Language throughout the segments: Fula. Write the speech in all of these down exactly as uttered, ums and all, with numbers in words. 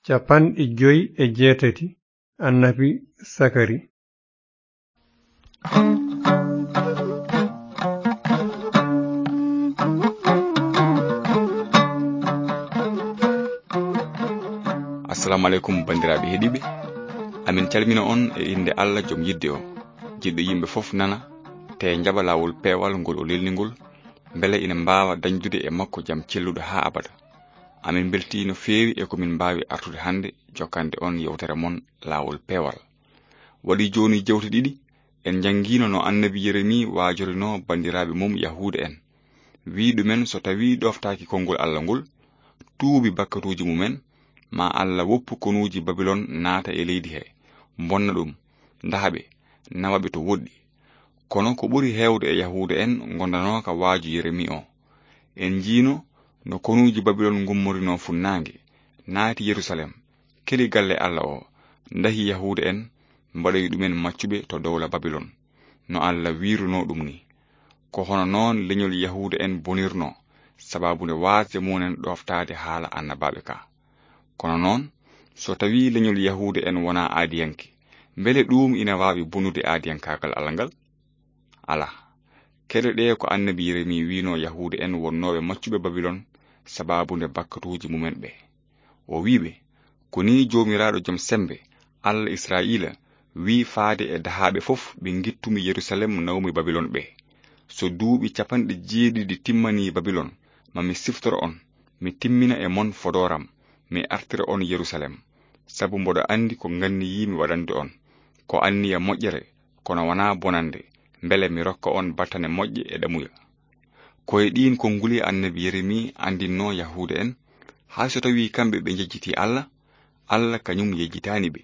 Cappanɗe joy e jeetati. Annabi Sakari. Assalamu aleykum, banndiraaɓe heɗiiɓe. Amin calmina on e innde Allah, jom yidde o, jiɗɗo yimɓe fof nana, te njaɓa laawol peewal ngol o lelni ngol, mbele ina mbaawa dañdude e makko jam celluɗo haa abada. Amin mbeltii no feewi e ko min mbaawi artude hannde jokkande on yewtere mon Laawol Peewal. Waɗi jooni jewte ɗiɗi, en njanngiino no annabi Yeremi waajorinoo banndiraaɓe mum Yahuuda en. Wii ɗumen so tawii ɗooftaaki konngol Allah ngol, tuubi bakkatuuji mumen, ma Allah woppu konuuji Babilon naata e leydi he, mbonna ɗum, ndaha ɓe, nawa ɓe to woɗɗi. Kono ko ɓuri heewde e Yahuuda en ngondanooka waaju Yeremi o. En njiino no konuuji Babilon ngummorinoo funnaange, naati Yerusalem, keli galle Allah o, ndahi Yahuuda en, mbaɗoyi ɗumen maccuɓe to dowla Babilon, no Allah wiirunoo ɗum ni. Ko hono noon leñol Yahuuda en bonirnoo, sababu nde waasde mumen ɗooftaade haala annabaaɓe ka. Kono noon, so tawii leñol Yahuuda en wonaa aadiyanke, mbele ɗuum ina waawi bonude aadiyankaagal Allah ngal? Alaa. Keɗoɗee ko annabi Yeremi wiinoo Yahuuda en wonnooɓe maccuɓe Babilon sababu nde bakkatuuji mumen ɓe. O wii ɓe, ko nii Joomiraaɗo jom semmbe, Allah Israa'iila, wii faade e dahaaɓe fof ɓe ngittumi Yerusalem nawmi Babilon ɓe. So duuɓi capanɗe jeeɗiɗi timmanii Babilon, ma mi siftoro on, mi timmina e mon fodooram, mi artira on Yerusalem. Sabu mboɗo anndi ko nganniyiimi waɗande on, ko anniya moƴƴere, kono wanaa bonannde, mbele mi rokka on battane moƴƴe e ɗamuya. Ko e ɗiin konnguli annabi Yeremi anndinnoo Yahuuda en, hay so tawii kamɓe ɓe njejjitii Allah, Allah kañum yejjitaani ɓe.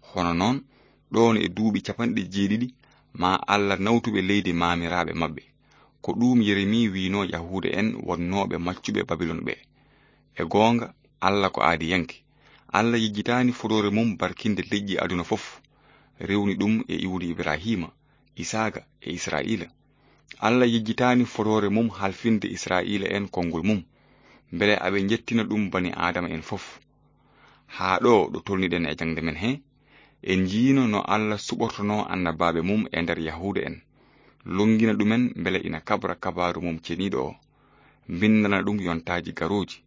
Hono noon, ɗoon e duuɓi capanɗe jeeɗiɗi, ma Allah nawtu ɓe leydi maamiraaɓe maɓɓe. Ko ɗuum Yeremi wiinoo Yahuuda en wonnooɓe maccuɓe Babilon ɓe. E goonga, Allah ko aadiyanke. Allah yejjitaani fodoore mum barkinde leƴƴi aduna fof, rewni ɗum e iwdi Ibrahiima, Isaaqa e Israa'iila. Allah yejjitaani fodoore mum halfinde Israa'iila en konngol mum, mbele aɓe njettina ɗum bani Aadama en fof. Haa ɗo, ɗo tolniɗen e jaŋde men he, en njiino no Allah suɓortonoo annabaaɓe mum e nder Yahuuda en, lonngina ɗumen mbele ina kabra kabaaru mum ceniiɗo o, mbinndana ɗum yontaaji garooji.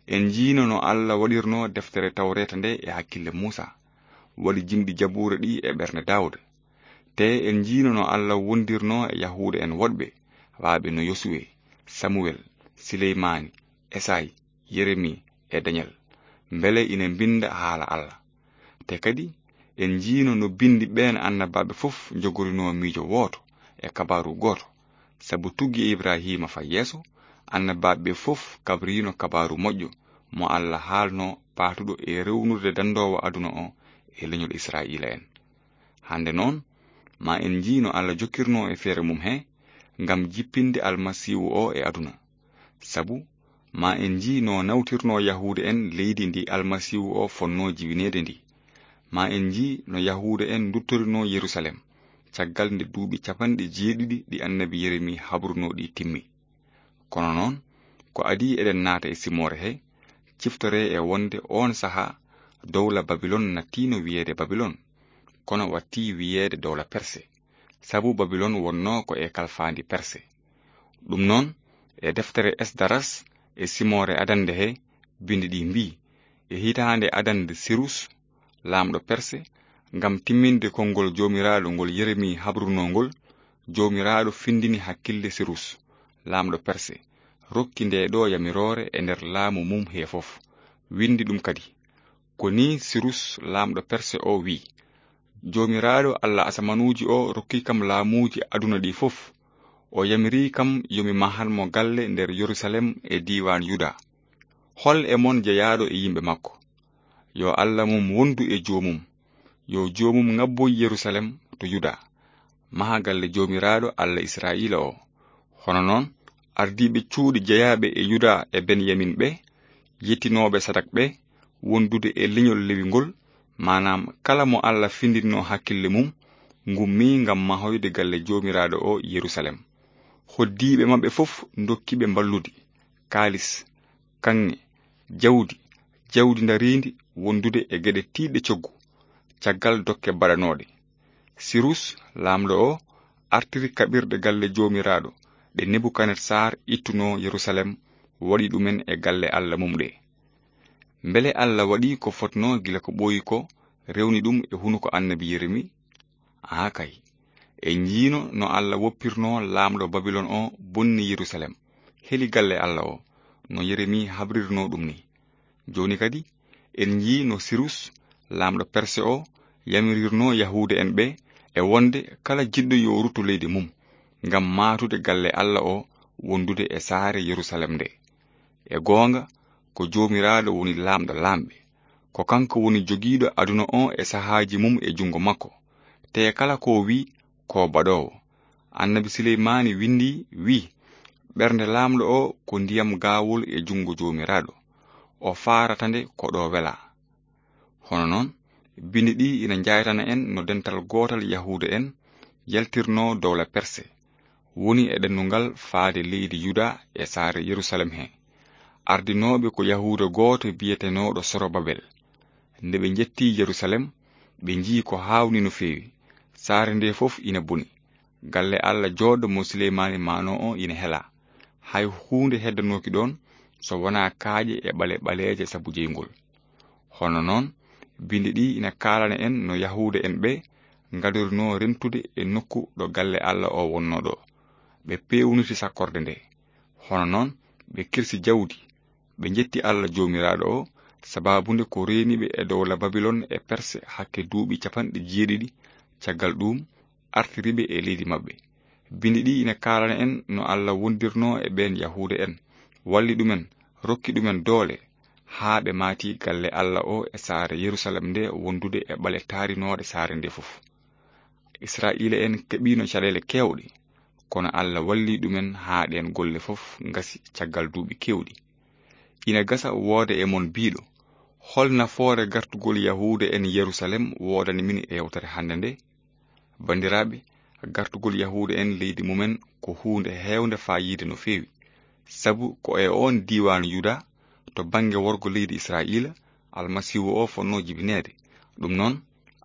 En njiino no Allah waɗirnoo deftere Tawreeta nde e hakkille Muusa, waɗi jimɗi Jabuura ɗi e ɓernde Daawuda. Te en njiino no Allah wondirnoo e Yahuuda en woɗɓe, waaɓe no Yosuwe, Samuwel, Sileymaani, Esayi, Yeremi e Dañel, mbele ina mbinnda haala Allah. Te kadi, en njiino no binndi ɓeen annabaaɓe fof njogorinoo miijo wooto e kabaaru gooto, sabu tuggi e Ibrahiima faa yeeso, annabaaɓe ɓe fof kabriino kabaaru moƴƴo mo Allah haalnoo paatuɗo e rewnude danndoowo aduna o e leñol Israa'iila en. Hannde noon, ma en njii no Allah jokkirnoo e feere mum he ngam jippinde Almasiihu o e aduna. Sabu, ma en njii no nawtirnoo Yahuuda en leydi ndi Almasiihu o fonnoo jibineede ndi. Ma en njii no Yahuuda en nduttorinoo Yerusalem, caggal nde duuɓi capanɗe jeeɗiɗi ɗi annabi Yeremi habrunoo ɗi timmi. Kono noon, ko adii eɗen naata e simoore he, ciftoree e wonde oon sahaa dowla Babilon nattiino wiyeede Babilon, kono wattii wiyeede dowla Perse, sabu Babilon wonnoo ko e kalfaandi Perse. Ɗum noon, e deftere Esdaras e simoore adannde he, binndi ɗi mbii, e hitaande adannde Sirus, laamɗo Perse, ngam timminde konngol Joomiraaɗo ngol Yeremi habrunoo ngol, Joomiraaɗo findini hakkille Sirus, laamɗo Perse, rokki nde ɗo yamiroore e nder laamu mum he fof. Winndi ɗum kadi. Ko nii Sirus, laamɗo Perse o, wii, Joomiraaɗo Allah asamanuuji o rokki kam laamuuji aduna ɗi fof. O yamiri kam yo mi mahan mo galle nder Yerusalem e diiwaan Yuda. Hol e mon jeyaaɗo e yimɓe makko? Yo Allah mum wondu e joomum. Yo joomum ŋabboy Yerusalem to Yuda, maha galle Joomiraaɗo Allah Israa'iila o. Hono noon, ardiiɓe cuuɗi jeyaaɓe e Yuda e Benyamin ɓe, yettinooɓe Sadak ɓe, wondude e leñol Lewi ngol, maanaam kala mo Allah findinno hakkille mum, ngummii ngam mahoyde galle Joomiraaɗo o Yerusalem. Hoddiiɓe maɓɓe fof ndokki ɓe mballudi, kaalis, kaŋŋe, jawdi, jawdi ndariindi, wondude e geɗe tiiɗɗe coggu, caggal dokke baɗanooɗe. Sirus, laamɗo o, artiri kaɓirɗe galle Joomiraaɗo ɗe Nebukadnesaar ittunoo Yerusalem, waɗi ɗumen e galle Alla mum ɗe. Mbele Alla waɗi ko fotnoo gila ko ɓooyi ko, rewni ɗum e hunuko annabi Yeremi? Aa kay. En njiino no Alla woppirnoo laamɗo Babilon o bonni Yerusalem, heli galle Alla o, no Yeremi habrirnoo ɗum ni. Jooni kadi, en njii no Sirus, laamɗo Perse o, yamirirnoo Yahuuda en ɓe e wonde kala jiɗɗo yo rutto leydi mum, ngam maatude galle Alla o wondude e saare Yerusalem nde. E goonga, ko Joomiraaɗo woni laamɗo laamɓe. Ko kanko woni jogiiɗo aduna o e sahaaji mum e junngo makko. Te kala ko o wi, ko baɗoowo. Annabi Suleymaani winndi, wi, "Ɓernde laamɗo o ko ndiyam gaawol e junngo Joomiraaɗo. O faarata nde ko ɗo welaa." Hono noon, bindi ɗi ina njaytana en no dental gootal Yahuuda en yaltirnoo dowla Perse, woni e ɗannungal faade leydi Yuda e saare Yerusalem he. Ardinooɓe ko Yahuuda gooto biyetenooɗo Sorobabel. Nde ɓe njetti Yerusalem, ɓe njii ko haawni no feewi. Saare nde fof ina boni. Galle Alla jooɗɗo mo Suleymaani maanoo o ina helaa. Hay huunde heddanooki ɗoon so wonaa kaaƴe e ɓale ɓaleeje sabu jeyngol. Hono noon, bindi ɗi ina kaalana en no Yahuuda en ɓe ngadorinoo rentude e nokku ɗo galle Alla o wonnoo ɗo. Ɓe peewniti sakkorde nde. Hono noon, ɓe kirsi jawdi. Ɓe njetti Alla Joomiraaɗo o, sabaabu nde ko reeni ɓe e dowla Babilon e Perse hakke duuɓi capanɗe jeeɗiɗi. Caggal ɗuum, artiri ɓe e leydi maɓɓe. Bindi ɗi ina kaalana en no Alla wondirnoo e ɓeen Yahuuda en, walli ɗumen, rokki ɗumen doole, haa ɓe maati galle Alla o e saare Yerusalem nde wondude e ɓale taarinooɗe saare nde fof. Israa'iila en keɓiino caɗeele keewɗe, kono Alla walli ɗumen haa ɗeen golle fof ngasi caggal duuɓi keewɗi. Ina gasa wooda e mon biiɗo, "Hol nafoore gartugol Yahuuda en Yerusalem woodani min e yewtere hannde nde?" Banndiraaɓe, gartugol Yahuuda en leydi mumen ko huunde heewnde faayiida no feewi, sabu ko e oon diiwaan Yuda, to bannge worgo leydi Israa'iila, Almasiihu o fotnoo jibineede. Ɗum noon,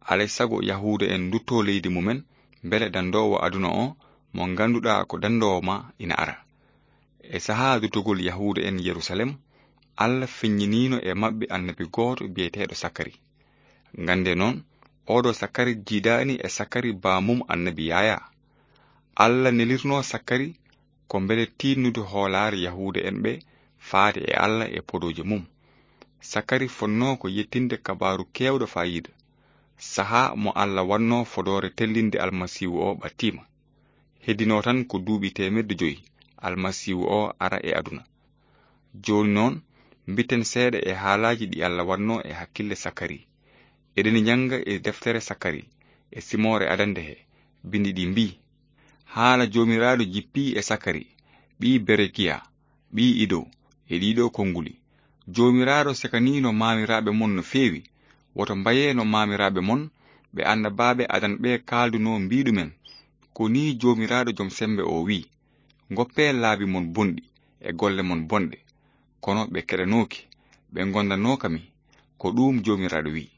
alay sago Yahuuda en nduttoo leydi mumen, mbele danndoowo aduna o, mo ngannduɗaa ko danndoowo ma, ina ara. E sahaa duttugol Yahuuda en Yerusalem, Alla feññiniino e maɓɓe annabi gooto biyeteeɗo Sakari. Nganndee noon, ooɗo Sakari jiidaani e Sakari baamum annabi Yaayaa. Alla nelirnoo Sakari ko mbele tiinnude hoolaare Yahuuda en ɓe faade e Alla e podooje mum. Sakari fotnoo ko yettinde kabaaru keewɗo faayiida, sahaa mo Alla waɗnoo fodoore tellinde Almasiihu o ɓattiima. Heddinoo tan ko duuɓi teemedde joyi Almasiihu o ara e aduna. Jooni noon, mbitten seeɗa e haalaaji ɗi Alla waɗnoo e hakkille Sakari. Eɗen njannga e deftere Sakari, e simoore adannde he, bindi ɗi mbii, "Haala Joomiraaɗo jippii e Sakari, ɓii Berekiya, ɓii Ido, e ɗiɗo konnguli. Joomiraaɗo sekaniino maamiraaɓe mon no feewi. Woto mbayee no maamiraaɓe mon, ɓe annabaaɓe adan ɓe kaaldunoo mbii ɗumen, 'Ko nii Joomiraaɗo Jom Semmbe o wii, Ngoppee laabi mon bonɗi e golle mon bonɗe.' Kono ɓe keɗanooki, ɓe ngondanooka mi. Ko ɗuum Joomiraaɗo wii.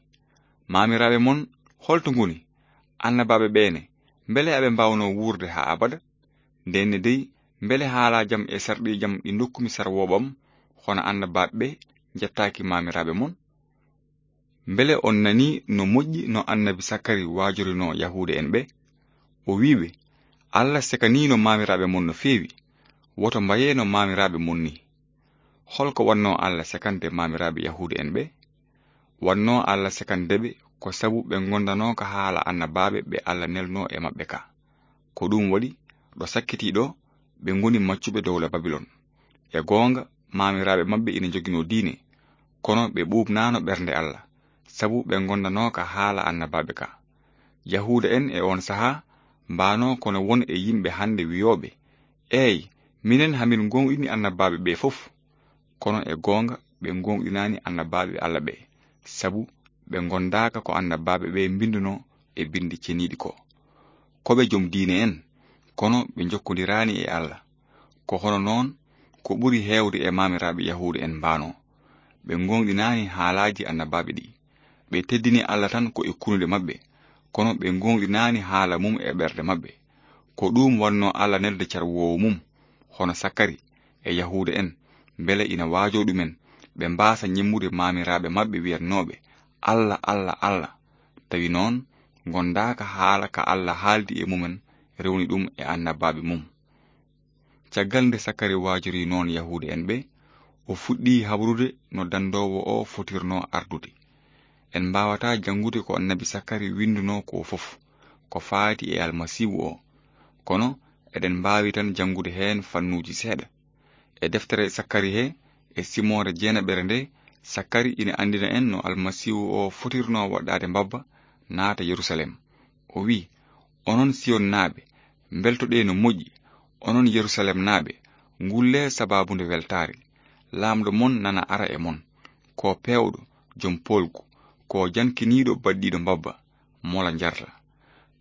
Maamiraaɓe mon, holto ngoni? Annabaaɓe ɓeene, mbele aɓe mbaawnoo wuurde haa abada? Ndenne dey, mbele haalaa jam e sarɗiijam ɗi ndokkumi sarwooɓam, hono annabaaɓe ɓe njettaaki maamiraaɓe mon? Mbele on nanii no moƴƴi no annabi Sakari waajorinoo Yahuuda en ɓe? O wii ɓe, 'Alla sekaniino maamiraaɓe mon no feewi. Woto mbayee no maamiraaɓe mon nii.' Holko wannoo Alla sekande maamiraaɓe Yahuuda en ɓe? Wannoo Alla sekande ɓe ko sabu ɓe ngondanooka haala annabaaɓe ɓe Alla nelnoo e maɓɓe ka. Ko ɗuum waɗi, ɗo sakkitii ɗo, ɓe ngoni maccuɓe dowla Babilon. E goonga, maamiraaɓe maɓɓe ina njoginoo diine, kono ɓe ɓuuɓnaano ɓernde Alla, sabu ɓe ngondanooka haala annabaaɓe ka. Yahuuda en e oon sahaa mbaanoo kono won e yimɓe hannde wiyooɓe, "Eey, minen hamin ngoonɗini annabaaɓe ɓe fof." Kono e goonga ɓe ngoonɗinaani annabaaɓe Alla ɓe, sabu ɓe ngondaaka ko annabaaɓe ɓe mbinndunoo e binndi ceniiɗi ko. Ko ɓe jom diine en, kono ɓe njokkondiraani e Alla. Ko hono noon ko ɓuri heewde e maamiraaɓe Yahuuda en mbaanoo. Ɓe ngoonɗinaani haalaaji annabaaɓe ɗi. Ɓe teddini Alla tan ko e kunuɗe maɓɓe, kono ɓe gooŋɗinaani haala mum e ɓerɗe maɓɓe. Ko ɗuum waɗno Alla neldude carwoowo mum, hono Sakari e Yahuuda en, mbele ina waajoo ɗumen, ɓe mbaasa ñemmude maamiraaɓe maɓɓe wiyatnooɓe, "Alla, Alla, Alla." Tawi noon, gondaaka haala ka Alla haaldi e mumen, rewni ɗum e annabaaɓe mum. Caggal nde Sakari waajorii noon Yahuuda en ɓe, o fuɗɗii habrude no dandoowo o fotirnoo ardude. En mbaawataa janngude ko annabi Sakari winndunoo ko fof, ko faati e Almasiihu o. Kono eɗen mbaawi tan janngude heen fannuuji seeɗa. E deftere Sakari he, e simoore jeenaɓere nde, Sakari ina anndina en no Almasiihu o fotirnoo waɗɗaade mbabba, naata Yerusalem. O wi'i, "Onon Siyonnaaɓe, mbeltoɗee no moƴƴi, onon Yerusalemnaaɓe, ngullee sabaabu nde weltaare. Laamɗo mon nana ara e mon, ko peewɗo, jom poolgu, ko jankiniiɗo baɗɗiiɗo mbabba, mola njarla."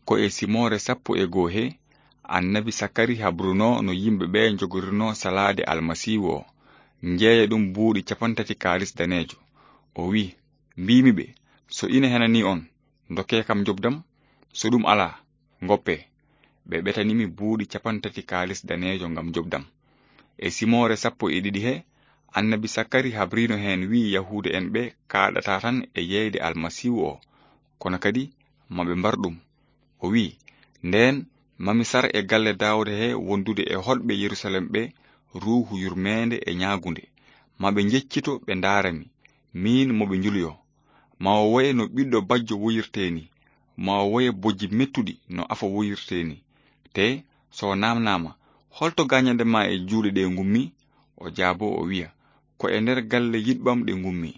Ko e simoore sappo e goo he, annabi Sakari habrunoo no yimɓe ɓe njogorirnoo salaade Almasiihu o, njeeya ɗum buuɗi capantati kaalis daneejo. O wi'i, "Mbiimi ɓe, so ina henanii on, ndokkee kam njoɓdam, so ɗum alaa, ngoppee." Ɓe ɓetani mi buuɗi capantati kaalis daneejo ngam njoɓdam. E simoore sappo e ɗiɗi he, annabi Sakari habriino heen, wi'i Yahuuda en ɓe kaaɗata tan e yeeyde Almasiihu o, kono kadi maɓe mbar ɗum. O wi'i, "Ndeen, mami sar e galle Daawda he wondude e hoɗɓe Yerusalem ɓe ruuhu yurmeende e ñaagunde. Maɓe njeccito ɓe ndaara mi, miin mo ɓe njuloyoo. Ma o woye no ɓiɗɗo bajjo woyirtee ni, ma o woye bojji mettuɗi no afo woyirtee ni. Te so o naamnaama, 'Holto gaañanɗe ma e juuɗe ɗe ngummi?' O jaaboo o wi'a, 'Ko e nder galle yiɗɓam ɗe ngummi.'"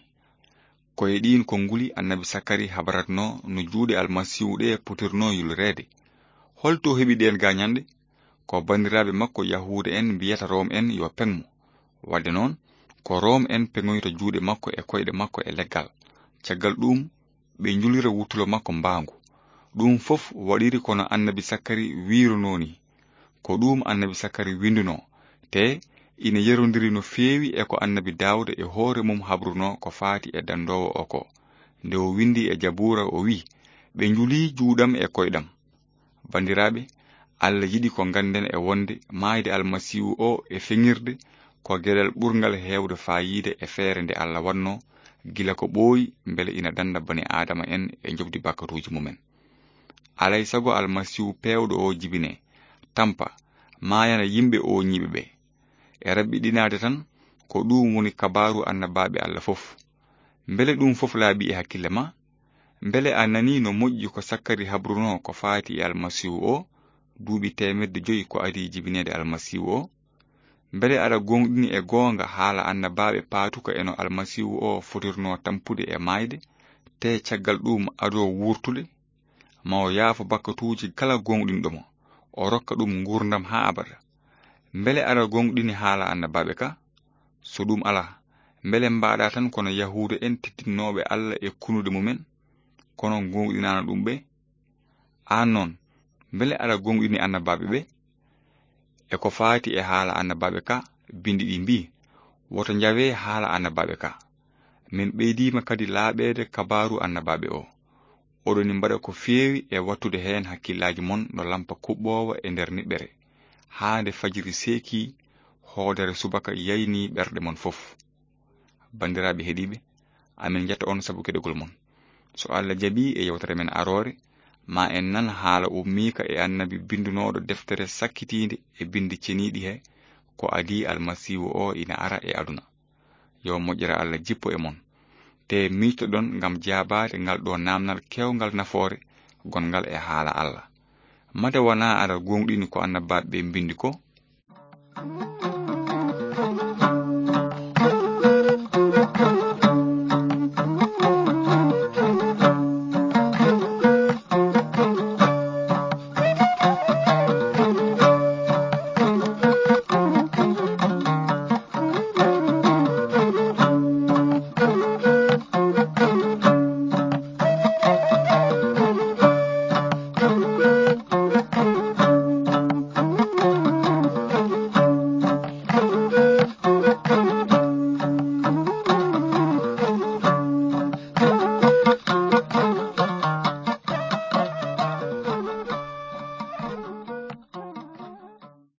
Ko e ɗiin konnguli annabi Sakari habratnoo no juuɗe Almasiihu ɗe potirnoo yulreede. Holto o heɓi ɗeen gaañanɗe? Ko banndiraaɓe makko Yahuuda en mbiyata Room en yo peŋ mo. Waɗde noon, ko Room en peŋoyta juuɗe makko e koyɗe makko e leggal. Caggal ɗuum, ɓe njulira wuttulo makko mbaangu. Ɗum fof waɗiri ko no annabi Sakari wiirunoo ni. Ko ɗuum annabi Sakari winndunoo, te ina yerondiri no feewi e ko annabi Daawda e hoore mum habrunoo ko faati e dandoowo o ko. Nde o winndi e Jabuura, o wi'i, "Ɓe njulii juuɗam e koyɗam." Banndiraaɓe, Alla yiɗi ko ngannden e wonde maayde Almasiihu o e feŋirde ko geɗal ɓurngal heewde faayiida e feere nde Alla waɗnoo gila ko ɓooyi, mbele ina dannda bani Aadama en e njoɓdi bakkatuuji mumen. Alay sago Almasiihu peewɗo o jibinee, tampa, maayana yimɓe ooñiiɓe ɓe. E raɓɓiɗinaade tan, ko ɗuum woni kabaaru annabaaɓe Alla fof. Mbele ɗum fof laaɓi e hakkille ma? Mbele a nanii no moƴƴi ko Sakkari habrunoo ko faati e Almasiihu o, duuɓi teemedde joyi ko adii jibineede Almasiihu o? Mbele aɗa gooŋɗini e goonga haala annabaaɓe paatuka e no Almasiihu o fotirnoo tampude e maayde, tee caggal ɗuum adoo wuurtude? Ma o yaafo bakkatuuji kala gooŋɗinɗo mo, o rokka ɗum nguurndam haa abada. Mbele aɗa gooŋɗini haala annabaaɓe ka? So ɗum alaa, mbele mbaɗa tan kono Yahuuda en tittinnooɓe Alla e kunuɗe mumen, kono gooŋɗinaano ɗum ɓe? Aan noon, mbele aɗa gooŋɗini annabaaɓe ɓe? E ko faati e haala annabaaɓe ka, binndi ɗi mbii, "Woto njawee haala annabaaɓe ka." Min ɓeydiima kadi laaɓeede kabaaru annabaaɓe o. Oɗoni mbaɗa ko feewi e wattude heen hakkillaaji mon no lampa kuɓɓoowa e nder niɓɓere, haa nde fajiri seekii, hoodere subaka yaynii ɓerɗe mon fof. Banndiraaɓe heɗiiɓe, amin njetta on sabu keɗogol mon. So Alla jaɓii e yewtere men aroore, ma en nan haala ummiika e annabi binndunooɗo deftere sakkitiinde e binndi ceniiɗi he, ko adii Almasiihu o ina ara e aduna. Yo moƴƴere Alla jippo e mon. Te miijtoɗon ngam jaabaade ngal ɗo naamnal keewngal nafoore gonngal e haala Alla. Mate wonaa aɗa gooŋɗini ko annabaaɓe ɓe mbinndi ko?